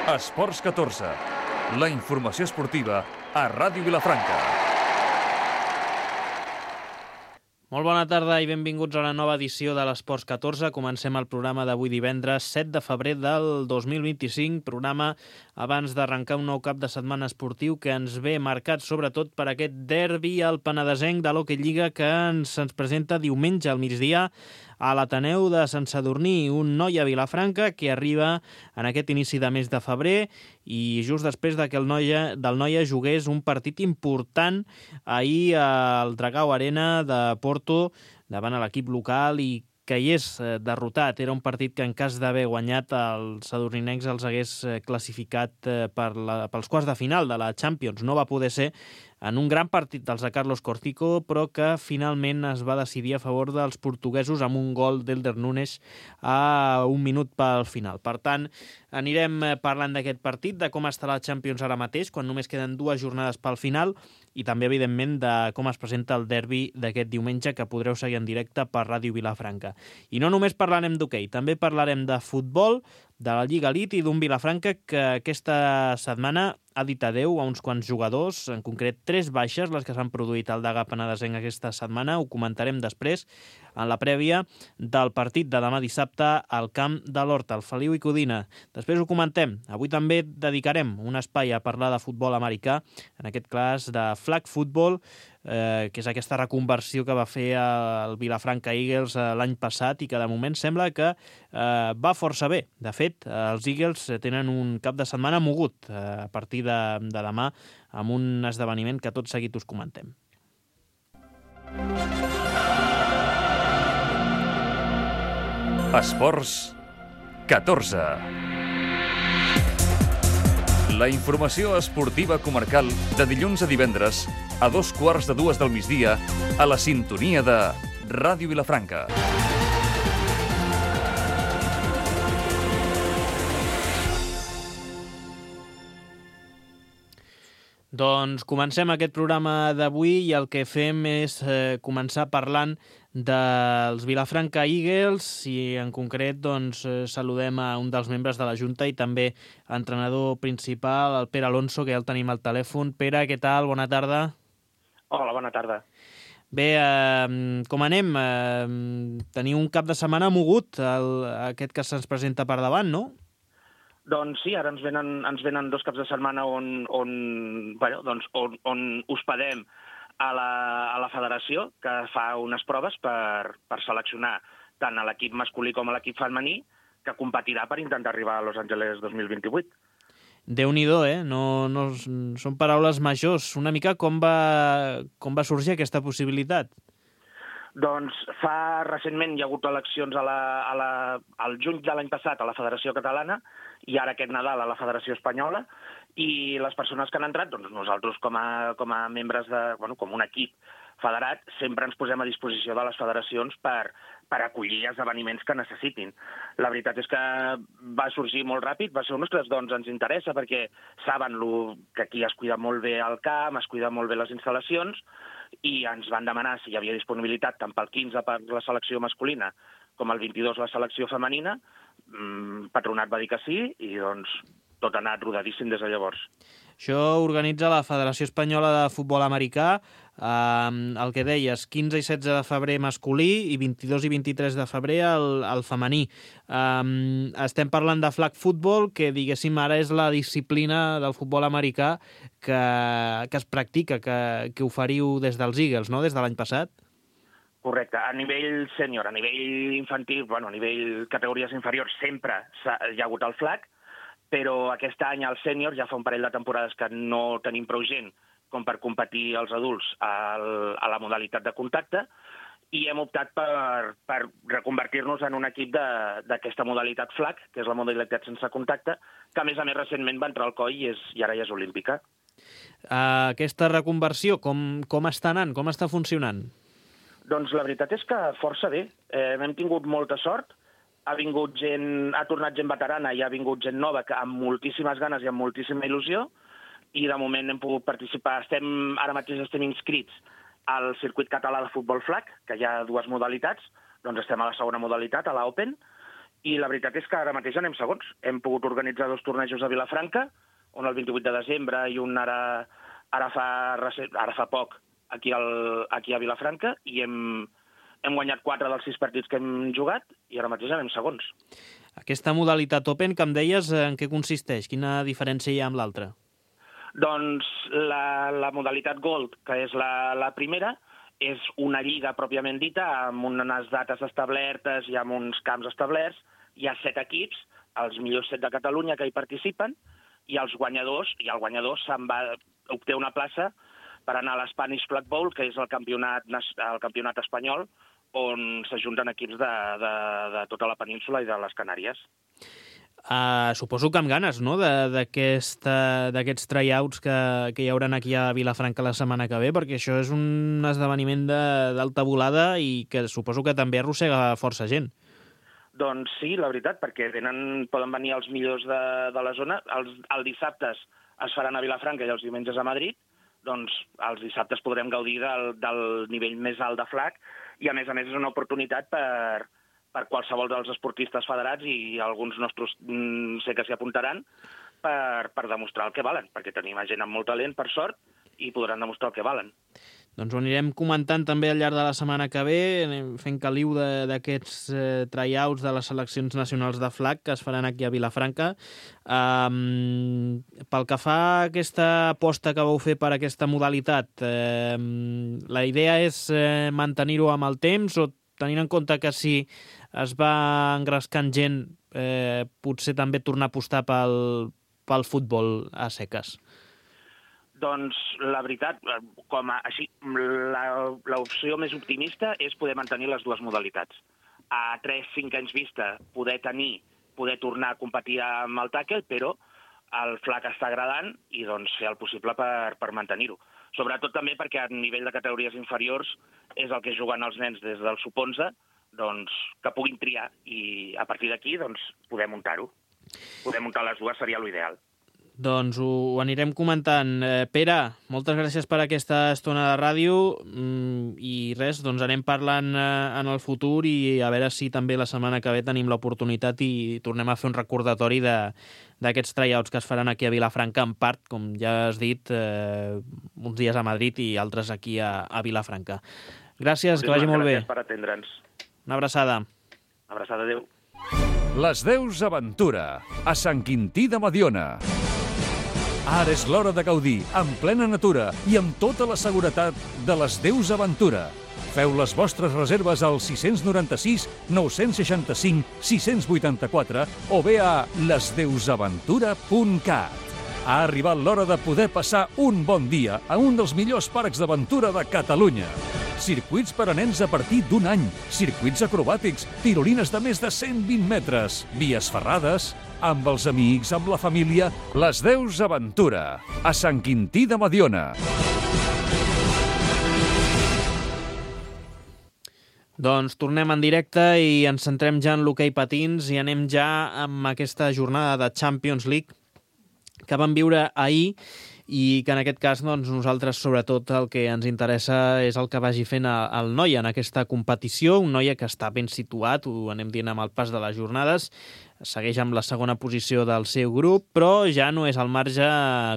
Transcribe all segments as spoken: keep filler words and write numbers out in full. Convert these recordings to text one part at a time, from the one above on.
Esports catorze, la informació esportiva a Ràdio Vilafranca. Molt bona tarda i benvinguts a la nova edició de l'Esports catorze. Comencem el programa d'avui divendres set de febrer del dos mil vint-i-cinc, programa abans d'arrencar un nou cap de setmana esportiu que ens ve marcat sobretot per aquest derbi al penedesenc de l'Hockey Lliga que ens, ens presenta diumenge al migdia a l'Ateneu de Sant Sadurní, un Noia Vilafranca que arriba en aquest inici de mes de febrer i just després de que el Noia, del Noia jugués un partit important ahir al Dragao Arena de Porto davant l'equip local i que hi és derrotat. Era un partit que en cas d'haver guanyat els sadurninencs els hagués classificat per la, pels quarts de final de la Champions. No va poder ser en un gran partit dels de Carlos Cortico, però que finalment es va decidir a favor dels portuguesos amb un gol d'Elder Nunes a un minut pel final. Per tant, anirem parlant d'aquest partit, de com està la Champions ara mateix, quan només queden dues jornades pel final, i també, evidentment, de com es presenta el derbi d'aquest diumenge, que podreu seguir en directe per Ràdio Vilafranca. I no només parlarem d'hoquei, també parlarem de futbol, de la Lliga Elite i d'un Vilafranca que aquesta setmana ha dit adeu a uns quants jugadors, en concret tres baixes, les que s'han produït al Degà Penedesenc aquesta setmana. Ho comentarem després, en la prèvia del partit de demà dissabte al camp de l'Horta, el Feliu i Codina. Després ho comentem. Avui també dedicarem un espai a parlar de futbol americà, en aquest cas de flag football, eh, que és aquesta reconversió que va fer el Vilafranca Eagles eh, l'any passat i que de moment sembla que eh, va força bé. De fet, els Eagles tenen un cap de setmana mogut eh, a partir de, de demà amb un esdeveniment que tot seguit us comentem. Esports catorze. La informació esportiva comarcal de dilluns a divendres a dos quarts de dues del migdia a la sintonia de Ràdio Vilafranca. Doncs comencem aquest programa d'avui i el que fem és eh, començar parlant dels Vilafranca Eagles i en concret doncs, eh, saludem a un dels membres de la Junta i també entrenador principal, el Pere Alonso, que ja el tenim al telèfon. Pere, què tal? Bona tarda. Hola, bona tarda. Bé, eh, com anem? Eh, teniu un cap de setmana mogut, el, aquest que se'ns presenta per davant, no? Doncs sí, ara ens venen, ens venen dos caps de setmana on, on, bueno, doncs on, on hospedem a la, a la federació, que fa unes proves per, per seleccionar tant a l'equip masculí com a l'equip femení, que competirà per intentar arribar a Los Angeles dos mil vint-i-vuit. Déu-n'hi-do, eh? No, no, són paraules majors. Una mica com va, com va sorgir aquesta possibilitat? Doncs fa recentment hi ha hagut eleccions a la, a la, al juny de l'any passat a la Federació Catalana i ara aquest Nadal a la Federació Espanyola, i les persones que han entrat, doncs nosaltres com a, com a membres de, bueno, com un equip federat, sempre ens posem a disposició de les federacions per, per acollir esdeveniments que necessitin. La veritat és que va sorgir molt ràpid, va ser, ostres, doncs ens interessa perquè saben lo, que aquí es cuida molt bé el camp, es cuida molt bé les instal·lacions, i ens van demanar si hi havia disponibilitat tant pel quinze per la selecció masculina com el vint-i-dos la selecció femenina. Patronat va dir que sí i doncs tot ha anat rodadíssim des de llavors. Això organitza la Federació Espanyola de Futbol Americà, eh, el que deies, quinze i setze de febrer masculí i vint-i-dos i vint-i-tres de febrer el, el femení. Eh, estem parlant de flag football, que diguéssim ara és la disciplina del futbol americà que, que es practica, que, que oferiu des dels Eagles, no?, des de l'any passat. Correcte. A nivell sènior, a nivell infantil, bueno, a nivell categories inferiors, sempre hi ha hagut el flag, però aquest any al sènior ja fa un parell de temporades que no tenim prou gent com per competir els adults al, a la modalitat de contacte, i hem optat per, per reconvertir-nos en un equip d'aquesta modalitat flag, que és la modalitat sense contacte, que a més a més recentment va entrar al C O I i, és, i ara ja és olímpica. Uh, aquesta reconversió, com, com està anant? Com està funcionant? Doncs la veritat és que força bé. Eh, hem tingut molta sort. Ha vingut gent, ha tornat gent veterana i ha vingut gent nova que amb moltíssimes ganes i amb moltíssima il·lusió, i de moment hem pogut participar. Estem, ara mateix estem inscrits al circuit català de futbol flag, que hi ha dues modalitats, doncs estem a la segona modalitat, a l'Open, i la veritat és que ara mateix anem segons. Hem pogut organitzar dos tornejos a Vilafranca, un el vint-i-vuit de desembre i un ara, ara, fa, ara fa poc aquí, al, aquí a Vilafranca, i hem, hem guanyat quatre dels sis partits que hem jugat i ara mateix anem segons. Aquesta modalitat Open, que em deies, en què consisteix? Quina diferència hi ha amb l'altra? Doncs la, la modalitat Gold, que és la, la primera, és una lliga pròpiament dita, amb unes dates establertes i amb uns camps establerts. Hi ha set equips, els millors set de Catalunya que hi participen, i els guanyadors, i el guanyador se'n va obté una plaça per anar a l'Spanish Flag Bowl, que és el campionat, el campionat espanyol, on s'ajunten equips de, de, de tota la península i de les Canàries. Uh, suposo que amb ganes, no?, d'aquests tryouts que, que hi haurà aquí a Vilafranca la setmana que ve, perquè això és un esdeveniment d'alta volada i que suposo que també arrossega força gent. Doncs sí, la veritat, perquè venen, poden venir els millors de, de la zona. Els, els dissabtes es faran a Vilafranca i els diumenges a Madrid. Doncs els dissabtes podrem gaudir del, del nivell més alt de flag i, a més a més, és una oportunitat per... per qualsevol dels esportistes federats, i alguns nostres mm, sé que s'hi apuntaran, per, per demostrar el que valen, perquè tenim gent amb molt talent, per sort, i podran demostrar el que valen. Doncs ho anirem comentant també al llarg de la setmana que ve, anem fent caliu d'aquests eh, tryouts de les seleccions nacionals de flag que es faran aquí a Vilafranca. Um, pel que fa a aquesta aposta que vau fer per aquesta modalitat, eh, la idea és eh, mantenir-ho amb el temps, o tenint en compte que si es va engrescant gent, eh, potser també tornar a apostar pel, pel futbol a seques? Doncs la veritat, com a, així, l'opció més optimista és poder mantenir les dues modalitats. A tres cinc anys vista poder tenir, poder tornar a competir amb el tàquel, però el flag està agradant i doncs fer el possible per, per mantenir-ho. Sobretot també perquè a nivell de categories inferiors és el que juguen els nens des del sub onze, doncs que puguin triar, i a partir d'aquí doncs poder muntar-ho. Poder muntar les dues seria l'ideal. Doncs ho, ho anirem comentant. Eh, Pere, moltes gràcies per aquesta estona de ràdio, mm, i res, doncs anem parlant eh, en el futur, i a veure si també la setmana que ve tenim l'oportunitat i tornem a fer un recordatori d'aquests tryouts que es faran aquí a Vilafranca, en part, com ja has dit, eh, uns dies a Madrid i altres aquí a, a Vilafranca. Gràcies, que vagi molt bé. Gràcies per atendre'ns. Una abraçada. Una abraçada, adéu. Les Deus Aventura, a Sant Quintí de Mediona. Ara és l'hora de gaudir, en plena natura i amb tota la seguretat de les Deus Aventura. Feu les vostres reserves al sis nou sis, nou sis cinc, sis vuit quatre o bé a les deus aventura punt cat. Ha arribat l'hora de poder passar un bon dia a un dels millors parcs d'aventura de Catalunya. Circuits per a nens a partir d'un any, circuits acrobàtics, tirolines de més de cent vint metres, vies ferrades, amb els amics, amb la família, les Deus Aventura, a Sant Quintí de Mediona. Doncs tornem en directe i ens centrem ja en l'hoquei patins i anem ja amb aquesta jornada de Champions League que vam viure ahir, i que en aquest cas doncs, nosaltres sobretot el que ens interessa és el que vagi fent el Noia en aquesta competició, un Noia que està ben situat, ho anem dient amb el pas de les jornades, segueix amb la segona posició del seu grup, però ja no és el marge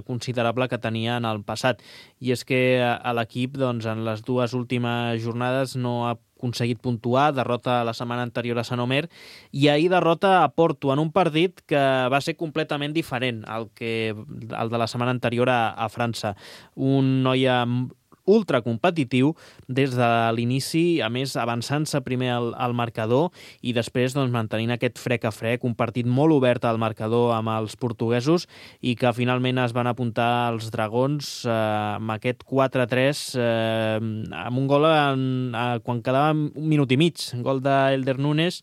considerable que tenia en el passat. I és que a l'equip doncs, en les dues últimes jornades no ha aconseguit puntuar, derrota la setmana anterior a Sant Omer, i ahir derrota a Porto en un partit que va ser completament diferent al que el de la setmana anterior a, a França. Un Noia ultra competitiu des de l'inici, a més avançant-se primer al, al marcador i després doncs, mantenint aquest frec a frec, un partit molt obert al marcador amb els portuguesos, i que finalment es van apuntar els dragons eh, amb aquest quatre a tres eh, amb un gol en, eh, quan quedava un minut i mig, gol d'Elder Núñez,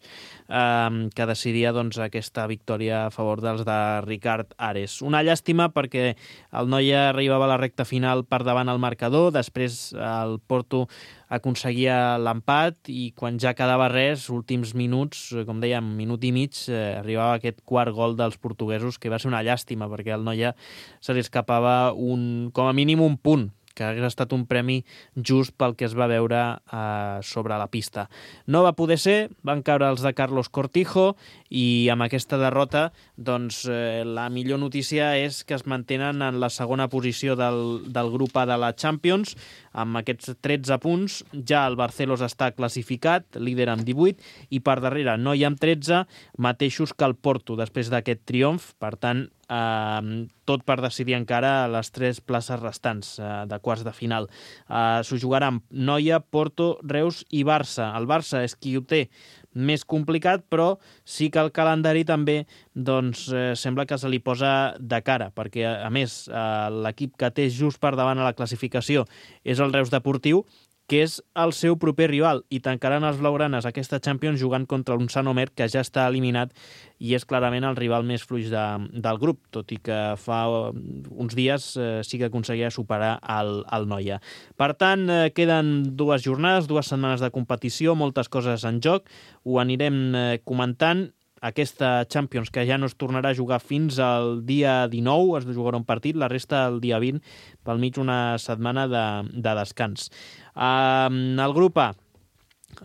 eh, que decidia doncs, aquesta victòria a favor dels de Ricard Ares. Una llàstima perquè el Noia arribava a la recta final per davant al marcador, després el Porto aconseguia l'empat i quan ja quedava res, últims minuts, com dèiem, minut i mig, eh, arribava aquest quart gol dels portuguesos, que va ser una llàstima perquè el Noia se li escapava un, com a mínim un punt que hagués estat un premi just pel que es va veure eh, sobre la pista. No va poder ser, van caure els de Carlos Cortijo i amb aquesta derrota doncs, eh, la millor notícia és que es mantenen en la segona posició del, del grup A de la Champions amb aquests tretze punts. Ja el Barcelos està classificat, líder amb divuit, i per darrere Noia amb tretze, mateixos que el Porto després d'aquest triomf. Per tant, eh, tot per decidir encara les tres places restants eh, de quarts de final. Eh, S'ho jugaran Noia, Porto, Reus i Barça. El Barça és qui ho té més complicat, però sí que el calendari també doncs, eh, sembla que se li posa de cara, perquè, a més, eh, l'equip que té just per davant a la classificació és el Reus Deportiu, que és el seu proper rival, i tancaran els blaugranes aquesta Champions jugant contra un Sant Omer que ja està eliminat i és clarament el rival més fluix de, del grup, tot i que fa uns dies eh, sí que aconseguia superar el, el Noia. Per tant, eh, queden dues jornades, dues setmanes de competició, moltes coses en joc, ho anirem eh, comentant. Aquesta Champions, que ja no es tornarà a jugar fins al dia dinou, es jugarà un partit, la resta el dia vint, pel mig una setmana de, de descans. Uh, el grup A,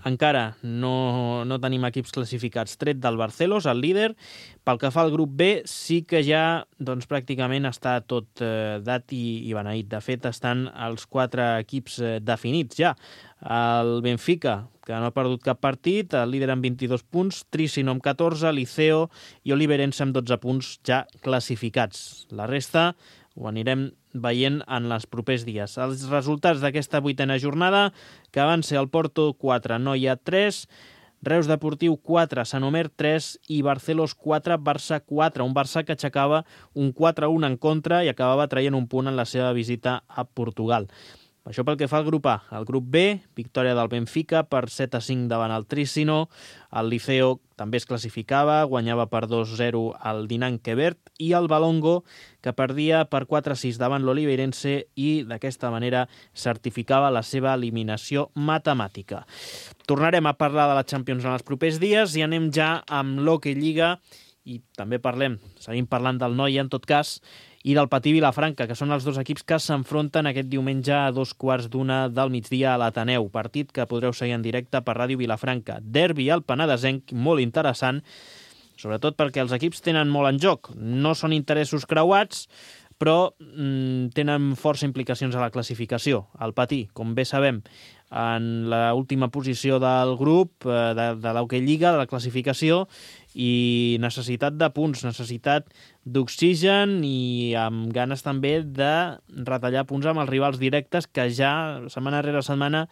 encara no, no tenim equips classificats, tret del Barcelos, el líder. Pel que fa al grup B, sí que ja doncs, pràcticament està tot eh, dat i, i beneït. De fet, estan els quatre equips eh, definits ja. El Benfica, que no ha perdut cap partit, el líder amb vint-i-dos punts, Trissino amb catorze, Liceo i Oliverense amb dotze punts ja classificats. La resta ho anirem veient en els propers dies. Els resultats d'aquesta vuitena jornada, que van ser el Porto quatre, Noia tres, Reus Deportiu quatre, Sant Omer tres i Barcelos quatre, Barça quatre. Un Barça que aixecava un quatre a un en contra i acabava traient un punt en la seva visita a Portugal. Això pel que fa al grup A. El grup B, victòria del Benfica per set a cinc davant el Trissino. El Liceo també es classificava, guanyava per dos a zero al Dinant Quebert, i el Balongo, que perdia per quatre a sis davant l'Oliveirense i d'aquesta manera certificava la seva eliminació matemàtica. Tornarem a parlar de la Champions en els propers dies i anem ja amb l'Hockey Lliga i també parlem, seguim parlant del Noia en tot cas, i del Patí Vilafranca, que són els dos equips que s'enfronten aquest diumenge a dos quarts d'una del migdia a l'Ateneu. Partit que podreu seguir en directe per Ràdio Vilafranca. Derbi al Penedesenc, molt interessant, sobretot perquè els equips tenen molt en joc. No són interessos creuats, però mm, tenen força implicacions a la classificació. El Patí, com bé sabem, en l'última posició del grup, eh, de, de l'Hockey Lliga, de la classificació, i necessitat de punts, necessitat d'oxigen i amb ganes també de retallar punts amb els rivals directes que ja, setmana rere setmana,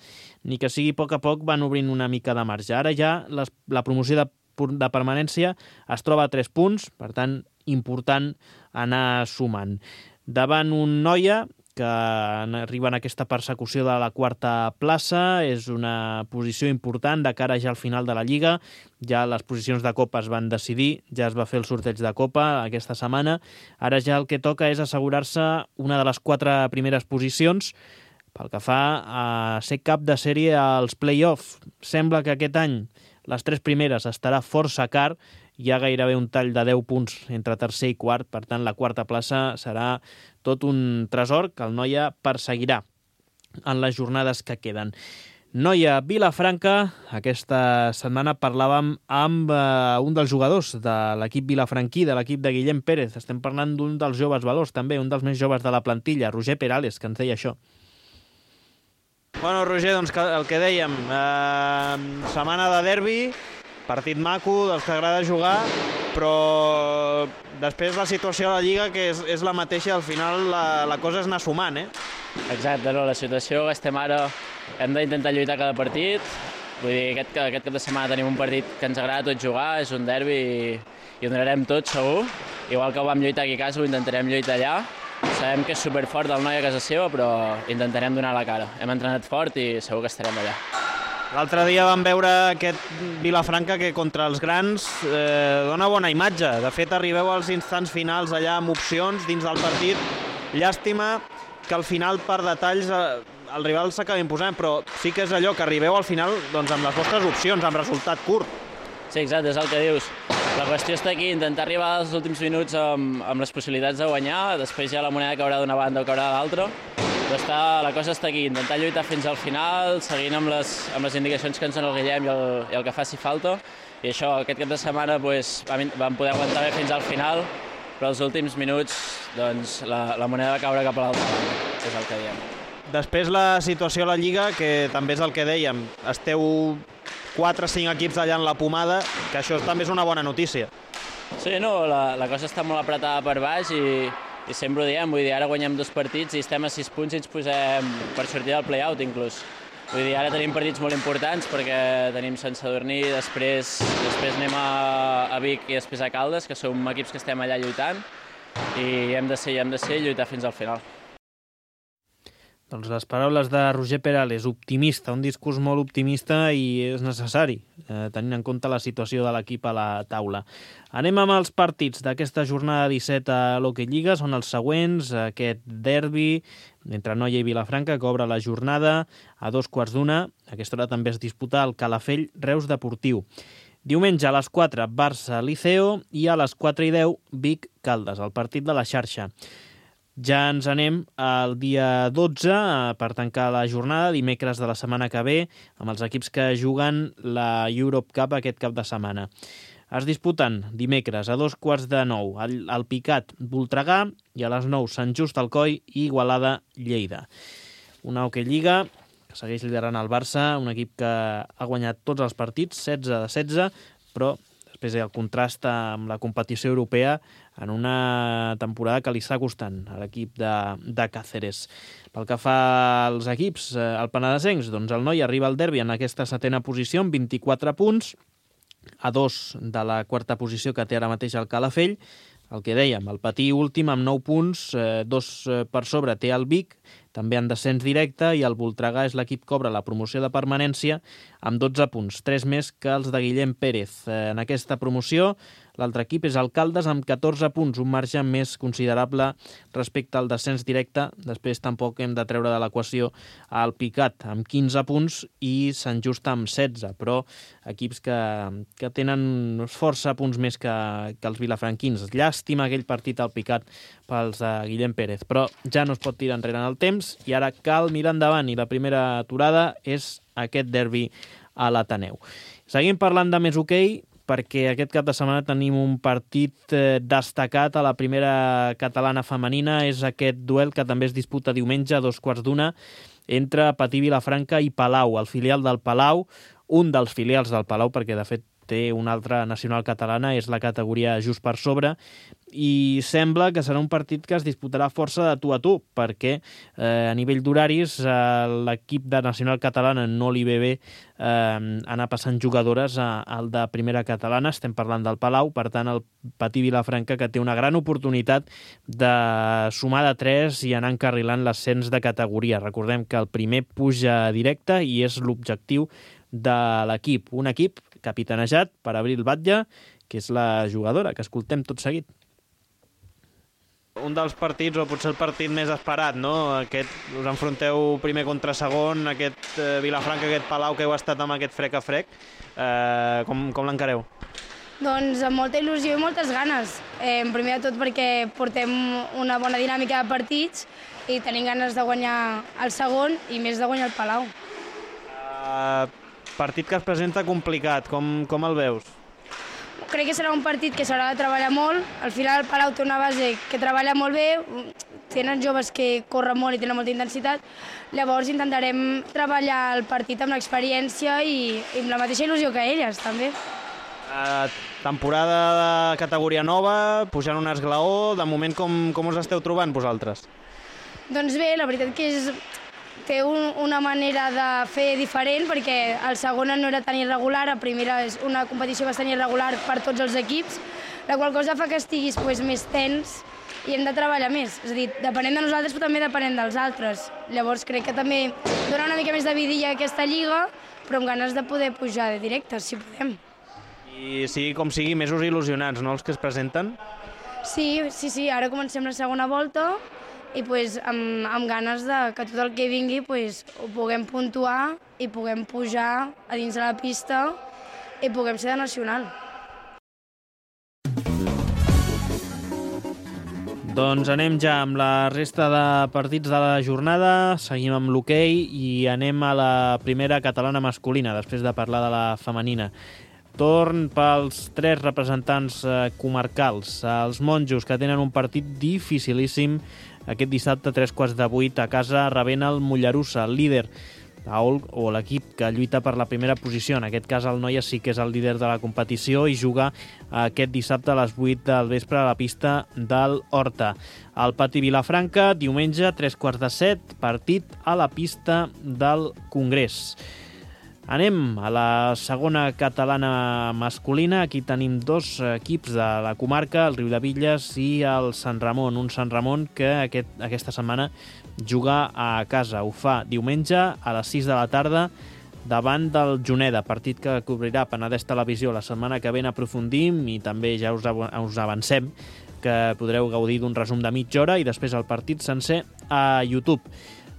ni que sigui a poc a poc, van obrint una mica de marge. Ara ja les, la promoció de, de permanència es troba a tres punts, per tant, important anar sumant. Davant un Noia que arriba en aquesta persecució de la quarta plaça, és una posició important de cara ja al final de la Lliga. Ja les posicions de Copa es van decidir, ja es va fer el sorteig de Copa aquesta setmana. Ara ja el que toca és assegurar-se una de les quatre primeres posicions pel que fa a ser cap de sèrie als play-off. Sembla que aquest any les tres primeres estarà força car, hi ha gairebé un tall de deu punts entre tercer i quart, per tant la quarta plaça serà tot un tresor que el Noia perseguirà en les jornades que queden. Noia Vilafranca, aquesta setmana parlàvem amb uh, un dels jugadors de l'equip vilafranquí, de l'equip de Guillem Pérez. Estem parlant d'un dels joves valors també, un dels més joves de la plantilla, Roger Perales, que ens deia això. Bueno, Roger, doncs el que dèiem, eh, setmana de derbi, partit maco, dels que agrada jugar, però després la situació a la Lliga, que és, és la mateixa, al final la, la cosa és anar sumant, eh? Exacte, no, la situació que estem ara, hem d'intentar lluitar cada partit, vull dir, aquest, aquest cap de setmana tenim un partit que ens agrada tot jugar, és un derbi i, i ho donarem tot, segur, igual que ho vam lluitar aquí a casa, ho intentarem lluitar allà. Sabem que és superfort el Noia a casa seva, però intentarem donar la cara. Hem entrenat fort i segur que estarem allà. L'altre dia vam veure aquest Vilafranca que contra els grans eh, dona bona imatge. De fet, arribeu als instants finals allà amb opcions dins del partit. Llàstima que al final, per detalls, eh, el rival s'acaba imposant, però sí que és allò que arribeu al final doncs, amb les vostres opcions, amb resultat curt. Sí, exacte, és el que dius. La qüestió està aquí, intentar arribar als últims minuts amb, amb les possibilitats de guanyar, després ja la moneda caurà d'una banda o caurà de l'altra, Però està, la cosa està aquí, intentar lluitar fins al final, seguint amb les, amb les indicacions que ens dona el Guillem i el, i el que faci falta. I això, aquest cap de setmana pues, vam, vam poder aguantar bé fins al final, però els últims minuts doncs, la, la moneda va caure cap a l'altra banda, és el que diem. Després la situació a la Lliga, que també és el que dèiem, esteu quatre o cinc equips allà en la pomada, que això també és una bona notícia. Sí, no, la, la cosa està molt apretada per baix i, i sempre ho diem, vull dir, ara guanyem dos partits i estem a sis punts i ens posem per sortir del play-out inclús. Vull dir, ara tenim partits molt importants perquè tenim Sant Sadurní, després, després anem a, a Vic i després a Caldes, que som equips que estem allà lluitant i hem de ser, hem de ser i lluitar fins al final. Doncs les paraules de Roger Perales, optimista, un discurs molt optimista i és necessari, eh, tenint en compte la situació de l'equip a la taula. Anem amb els partits d'aquesta jornada disset a l'Hockey Lliga, són els següents, aquest derbi entre Noia i Vilafranca, que obre la jornada a dos quarts d'una. A aquesta hora també es disputa el Calafell Reus Deportiu. Diumenge a les quatre, Barça Liceo, i a les quatre i deu, Vic Caldes, el partit de la xarxa. Ja ens anem al dia dotze per tancar la jornada, dimecres de la setmana que ve, amb els equips que juguen la Europe Cup aquest cap de setmana. Es disputen dimecres a dos quarts de nou el, el Picat Voltregà i a les nou Sant Just Alcoi i Igualada Lleida. Una Hockey Lliga que segueix liderant el Barça, un equip que ha guanyat tots els partits, setze de setze, però després el contrast amb la competició europea en una temporada que li està costant a l'equip de, de Càceres. Pel que fa als equips, el penedesencs, doncs el Noi arriba al derbi en aquesta setena posició amb vint-i-quatre punts, a dos de la quarta posició que té ara mateix el Calafell. El que dèiem, el Patí últim amb nou punts, eh, dos per sobre té el Vic, també en descens directe, i el Voltregà és l'equip que obre la promoció de permanència amb dotze punts, tres més que els de Guillem Pérez. Eh, en aquesta promoció, l'altre equip és el Caldes amb catorze punts, un marge més considerable respecte al descens directe. Després tampoc hem de treure de l'equació el Picat amb quinze punts i Sant Just amb setze, però equips que, que tenen força punts més que, que els vilafranquins. Llàstima aquell partit al Picat pels de Guillem Pérez, però ja no es pot tirar enrere en el temps i ara cal mirar endavant, i la primera aturada és aquest derbi a l'Ateneu. Seguim parlant de més hoquei, perquè aquest cap de setmana tenim un partit eh, destacat a la primera catalana femenina. És aquest duel que també es disputa diumenge a dos quarts d'una entre Patí Vilafranca i Palau, el filial del Palau, un dels filials del Palau, perquè de fet té una altra nacional catalana, és la categoria just per sobre, i sembla que serà un partit que es disputarà força de tu a tu, perquè eh, a nivell d'horaris eh, l'equip de nacional catalana no li ve bé eh, anar passant jugadores a, al de primera catalana. Estem parlant del Palau, per tant el Patí Vilafranca, que té una gran oportunitat de sumar de tres i anar encarrilant l'ascens de categoria. Recordem que el primer puja directe i és l'objectiu de l'equip, un equip capitanejat per Abril Batlle, que és la jugadora que escoltem tot seguit. Un dels partits, o potser el partit més esperat, no? Aquest, us enfronteu primer contra segon, aquest eh, Vilafranca, aquest Palau que heu estat amb aquest frec a frec. Eh, com com l'encareu? Doncs amb molta il·lusió i moltes ganes. Eh, primer de tot perquè portem una bona dinàmica de partits i tenim ganes de guanyar el segon i més de guanyar el Palau. Uh, partit que es presenta complicat, com, com el veus? Crec que serà un partit que s'haurà de treballar molt. Al final el Palau té una base que treballa molt bé, tenen joves que corren molt i tenen molta intensitat, llavors intentarem treballar el partit amb l'experiència i, i amb la mateixa il·lusió que elles, també. Uh, temporada de categoria nova, pujant un esglaó, de moment com, com us esteu trobant vosaltres? Doncs bé, la veritat que és... té un, una manera de fer diferent, perquè el segona no era tan irregular, a primera és una competició bastant irregular per tots els equips, la qual cosa fa que estiguis pues, més tens i hem de treballar més. És a dir, depenent de nosaltres, però també depenent dels altres. Llavors crec que també dona una mica més de vidilla a aquesta lliga, però amb ganes de poder pujar de directe, si podem. I sigui com sigui, mesos il·lusionats, no?, els que es presenten? Sí, sí, sí, ara comencem la segona volta, i pues, amb, amb ganes de que tot el que vingui pues, ho puguem puntuar i puguem pujar a dins de la pista i puguem ser de nacional. Doncs anem ja amb la resta de partits de la jornada, seguim amb l'hoquei i anem a la primera catalana masculina, després de parlar de la femenina. Torn pels tres representants comarcals, els monjos, que tenen un partit dificilíssim aquest dissabte a tres quarts de vuit a casa, rebent el Mollerussa, el líder, o l'equip que lluita per la primera posició. En aquest cas el Noia sí que és el líder de la competició i juga aquest dissabte a les vuit del vespre a la pista del Horta. Al Pati Vilafranca, diumenge, tres quarts de set, partit a la pista del Congrés. Anem a la segona catalana masculina. Aquí tenim dos equips de la comarca, el Riudebitlles i el Sant Ramon. Un Sant Ramon que aquest, aquesta setmana juga a casa. Ho fa diumenge a les sis de la tarda davant del Juneda, partit que cobrirà Penedès Televisió la setmana que ve. Aprofundim i també ja us, us avancem que podreu gaudir d'un resum de mitja hora i després el partit sencer a YouTube.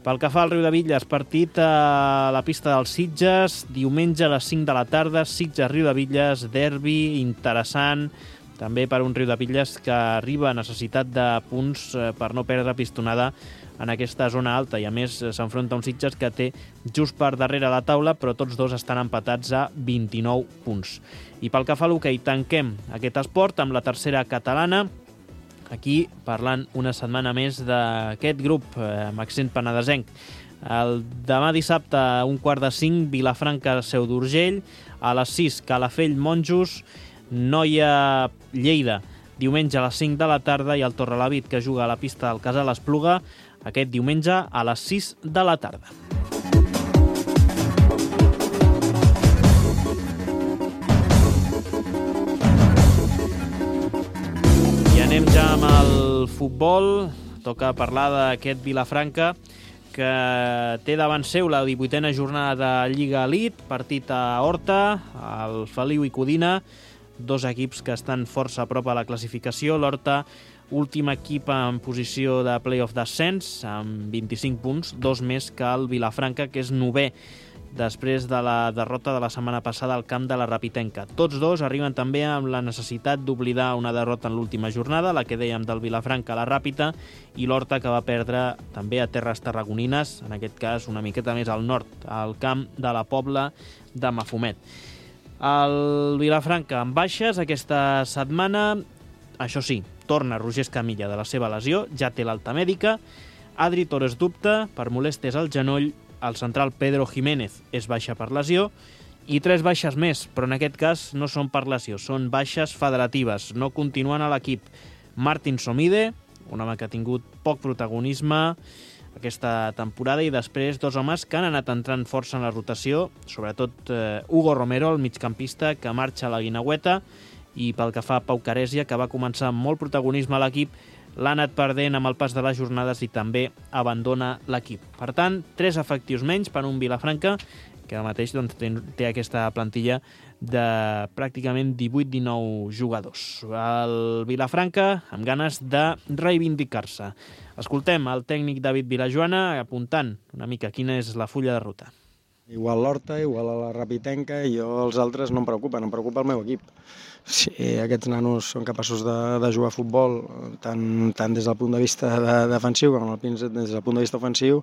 Pel que fa al Riudebitlles, partit a la pista dels Sitges, diumenge a les cinc de la tarda, Sitges-Riudebitlles, derbi interessant, també per un Riudebitlles que arriba a necessitat de punts per no perdre pistonada en aquesta zona alta, i a més s'enfronta a un Sitges que té just per darrere la taula, però tots dos estan empatats a vint-i-nou punts. I pel que fa a l'hoquei, tanquem aquest esport amb la tercera catalana, aquí parlant una setmana més d'aquest grup amb accent penedesenc. El demà dissabte a un quart de cinc, Vilafranca, Seu d'Urgell, a les sis, Calafell, Monjos, Noia, Lleida, diumenge a les cinc de la tarda, i el Torrelavit, que juga a la pista del Casal Espluga, aquest diumenge a les sis de la tarda. I anem ja amb el futbol. Toca parlar d'aquest Vilafranca que té davant seu la divuitena jornada de Lliga Elite, partit a Horta, al Feliu i Codina, dos equips que estan força a prop a la classificació. L'Horta, últim equip en posició de play-off d'ascens, amb vint-i-cinc punts, dos més que el Vilafranca, que és novè, després de la derrota de la setmana passada al camp de la Rapitenca. Tots dos arriben també amb la necessitat d'oblidar una derrota en l'última jornada, la que dèiem del Vilafranca a la Ràpita, i l'Horta, que va perdre també a terres tarragonines, en aquest cas una miqueta més al nord, al camp de la Pobla de Mafumet. El Vilafranca amb baixes aquesta setmana, això sí, torna Roger Escamilla de la seva lesió, ja té l'alta mèdica. Adri Torres dubta per molèsties al genoll, el central Pedro Jiménez és baixa per lesió, i tres baixes més, però en aquest cas no són per lesió, són baixes federatives, no continuen a l'equip. Martin Somide, un home que ha tingut poc protagonisme aquesta temporada, i després dos homes que han anat entrant força en la rotació, sobretot eh, Hugo Romero, el migcampista, que marxa a la Guineueta, i pel que fa a Pau Caresia, que va començar amb molt protagonisme a l'equip, l'ha anat perdent amb el pas de les jornades i també abandona l'equip. Per tant, tres efectius menys per un Vilafranca, que ara mateix doncs, té aquesta plantilla de pràcticament divuit dinou jugadors. El Vilafranca amb ganes de reivindicar-se. Escoltem el tècnic David Vilajoana apuntant una mica quina és la fulla de ruta. Igual l'Horta, igual a la Rapitenca, i jo els altres no em preocupen, em preocupa el meu equip. Si aquests nanos són capaços de, de jugar a futbol, tant, tant des del punt de vista de, defensiu com des del punt de vista ofensiu,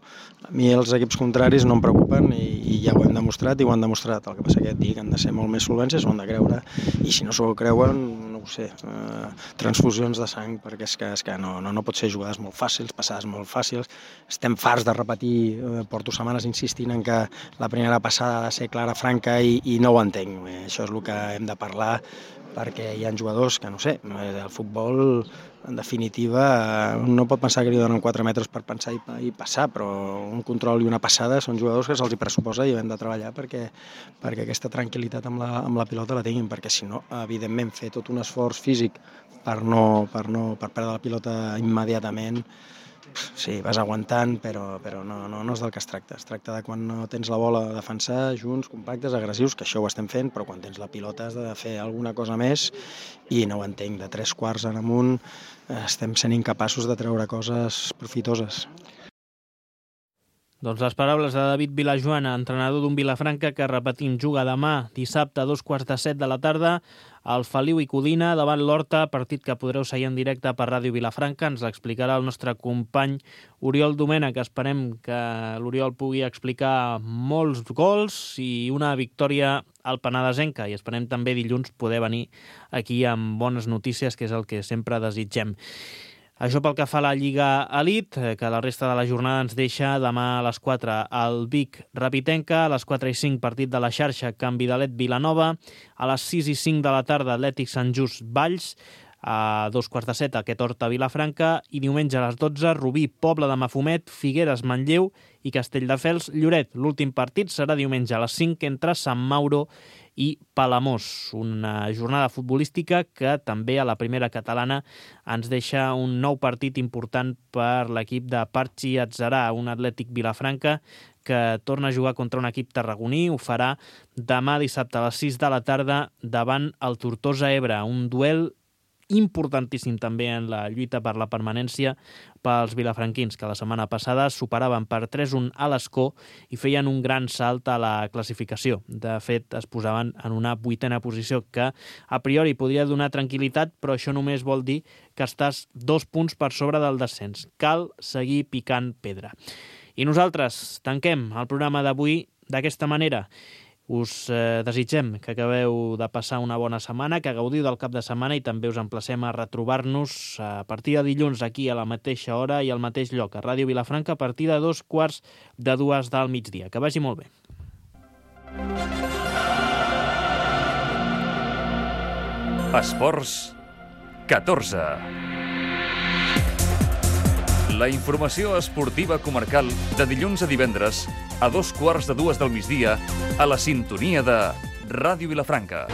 a mi els equips contraris no em preocupen, i, i ja ho hem demostrat i ho han demostrat. El que passa que dic, han de ser molt més solvents, s'ho han de creure, i si no s'ho creuen, no ho sé, eh, transfusions de sang, perquè és que, és que no, no, no pot ser jugades molt fàcils, passades molt fàcils. Estem farts de repetir, eh, porto setmanes insistint en que la primera passada ha de ser clara, franca, i, i no ho entenc. Eh, això és el que hem de parlar, perquè hi ha jugadors que, no sé, el futbol, en definitiva, no pot pensar que li donen quatre metres per pensar i, i passar, però un control i una passada són jugadors que se'ls hi pressuposa i hem de treballar perquè, perquè aquesta tranquil·litat amb la, amb la pilota la tinguin, perquè si no, evidentment, fer tot un esforç físic per, no, per, no, per perdre la pilota immediatament, sí, vas aguantant, però, però no, no, no és del que es tracta. Es tracta de quan no tens la bola de defensar, junts, compactes, agressius, que això ho estem fent, però quan tens la pilota has de fer alguna cosa més, i no ho entenc, de tres quarts en amunt estem sent incapaços de treure coses profitoses. Doncs les paraules de David Vilajoana, entrenador d'un Vilafranca que, repetim, juga demà, dissabte, a dos quarts de set de la tarda, al Feliu i Codina, davant l'Horta, partit que podreu seguir en directe per Ràdio Vilafranca. Ens l'explicarà el nostre company Oriol Domènech, que esperem que l'Oriol pugui explicar molts gols i una victòria al Penedesenca. I esperem també dilluns poder venir aquí amb bones notícies, que és el que sempre desitgem. Això pel que fa a la Lliga Elite, que la resta de la jornada ens deixa demà a les quatre al Vic Rapitenca, a les quatre i cinc partit de la xarxa Can Vidalet Vilanova, a les sis i cinc de la tarda Atlètic Sant Just Valls, a dos quarts de set aquest Horta Vilafranca i diumenge a les dotze Rubí Pobla de Mafumet, Figueres Manlleu i Castelldefels Lloret. L'últim partit serà diumenge a les cinc entre Sant Mauro i Palamós. Una jornada futbolística que també a la primera catalana ens deixa un nou partit important per l'equip de Parchi Atzarà, un Atlètic Vilafranca que torna a jugar contra un equip tarragoní. Ho farà demà dissabte a les sis de la tarda davant el Tortosa Ebre, un duel importantíssim també en la lluita per la permanència pels vilafranquins, que la setmana passada superaven per tres a un a l'Escó i feien un gran salt a la classificació. De fet, es posaven en una vuitena posició que a priori podria donar tranquil·litat, però això només vol dir que estàs dos punts per sobre del descens. Cal seguir picant pedra. I nosaltres tanquem el programa d'avui d'aquesta manera. Us eh, desitgem que acabeu de passar una bona setmana, que gaudiu del cap de setmana i també us emplacem a retrobar-nos a partir de dilluns aquí a la mateixa hora i al mateix lloc, a Ràdio Vilafranca, a partir de dos quarts de dues del migdia. Que vagi molt bé. Esports catorze. La informació esportiva comarcal de dilluns a divendres a dos quarts de dues del migdia a la sintonia de Ràdio Vilafranca.